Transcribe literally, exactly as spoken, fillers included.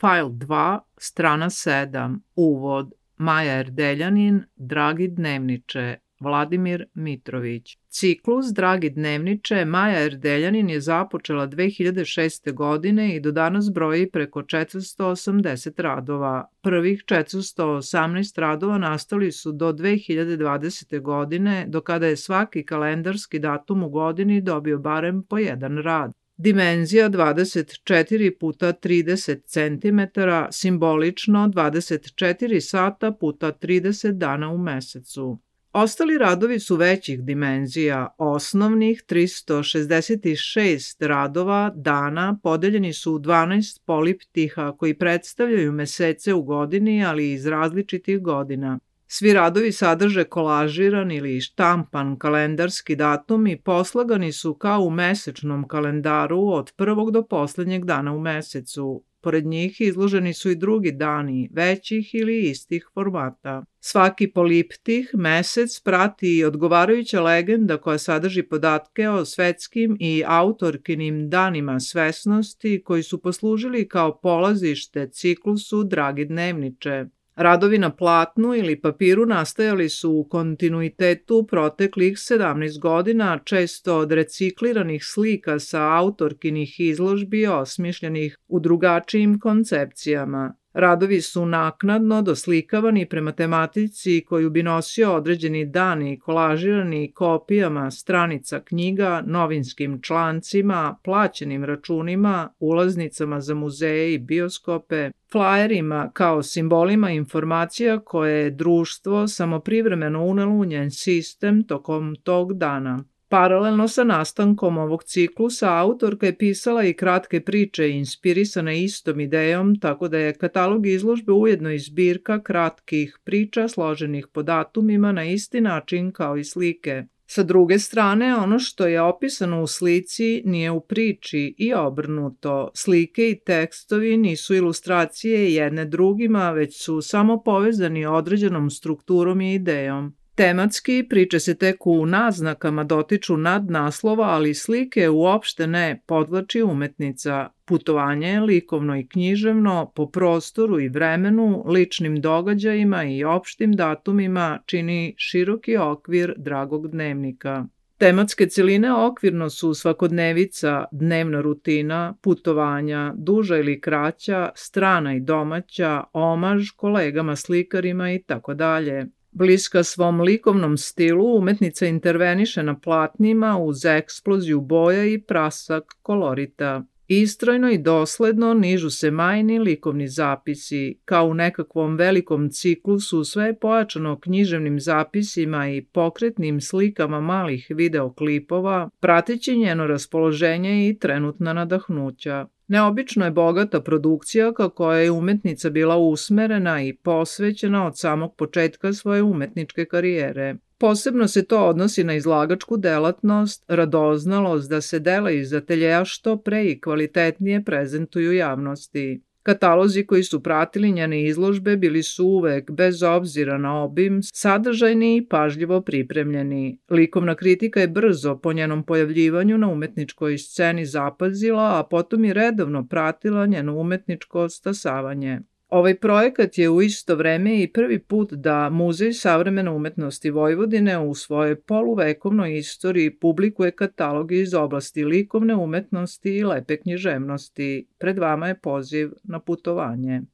Fajl dva, strana sedam, uvod, Maja Erdeljanin, Dragi dnevniče, Vladimir Mitrović. Ciklus Dragi dnevniče Maja Erdeljanin je započela dve hiljade šeste. godine i do danas broji preko četiristo osamdeset radova. Prvih četiristo osamnaest radova nastali su do dve hiljade dvadesete. godine, do kada je svaki kalendarski datum u godini dobio barem po jedan rad. Dimenzija dvadeset četiri puta trideset centimetara, simbolično dvadeset četiri sata puta trideset dana u mesecu. Ostali radovi su većih dimenzija, osnovnih tristo šezdeset šest radova dana podeljeni su u dvanaest poliptiha koji predstavljaju mesece u godini, ali iz različitih godina. Svi radovi sadrže kolažiran ili štampan kalendarski datum i poslagani su kao u mesečnom kalendaru od prvog do poslednjeg dana u mesecu. Pored njih izloženi su i drugi dani, većih ili istih formata. Svaki poliptih, mesec, prati i odgovarajuća legenda koja sadrži podatke o svetskim i autorkinim danima svesnosti koji su poslužili kao polazište ciklusu Dragi dnevniče. Radovi na platnu ili papiru nastajali su u kontinuitetu proteklih sedamnaest godina, često od recikliranih slika sa autorkinih izložbi osmišljenih u drugačijim koncepcijama. Radovi su naknadno doslikavani prema tematici koju bi nosio određeni dan i kolažirani kopijama stranica knjiga, novinskim člancima, plaćenim računima, ulaznicama za muzeje i bioskope, flajerima kao simbolima informacija koje je društvo samo privremeno unelo u njen sistem tokom tog dana. Paralelno sa nastankom ovog ciklusa, autorka je pisala i kratke priče inspirisane istom idejom, tako da je katalog izložbe ujedno i zbirka kratkih priča složenih po datumima na isti način kao i slike. Sa druge strane, ono što je opisano u slici nije u priči i obrnuto. Slike i tekstovi nisu ilustracije jedne drugima, već su samo povezani određenom strukturom i idejom. Tematski priče se tek u naznakama dotiču nadnaslova, ali slike uopšte ne, podvlači umetnica. Putovanje, likovno i književno, po prostoru i vremenu, ličnim događajima i opštim datumima čini široki okvir Dragog dnevnika. Tematske celine okvirno su svakodnevica, dnevna rutina, putovanja, duža ili kraća, strana i domaća, omaž kolegama slikarima i tako dalje. Bliska svom likovnom stilu, umetnica interveniše na platnima uz eksploziju boja i prasak kolorita. Istrojno i dosledno nižu se majni likovni zapisi. Kao u nekakvom velikom ciklusu, sve je pojačano književnim zapisima i pokretnim slikama malih videoklipova, prateći njeno raspoloženje i trenutna nadahnuća. Neobično je bogata produkcija ka kojoj je umetnica bila usmerena i posvećena od samog početka svoje umetničke karijere. Posebno se to odnosi na izlagačku delatnost, radoznalost da se dela iz ateljeja što pre i kvalitetnije prezentuju javnosti. Katalozi koji su pratili njene izložbe bili su uvek, bez obzira na obim, sadržajni i pažljivo pripremljeni. Likovna kritika je brzo po njenom pojavljivanju na umetničkoj sceni zapazila, a potom i redovno pratila njeno umetničko stasavanje. Ovaj projekat je u isto vreme i prvi put da Muzej savremene umetnosti Vojvodine u svojoj poluvekovnoj istoriji publikuje kataloge iz oblasti likovne umetnosti i lepe književnosti. Pred vama je poziv na putovanje.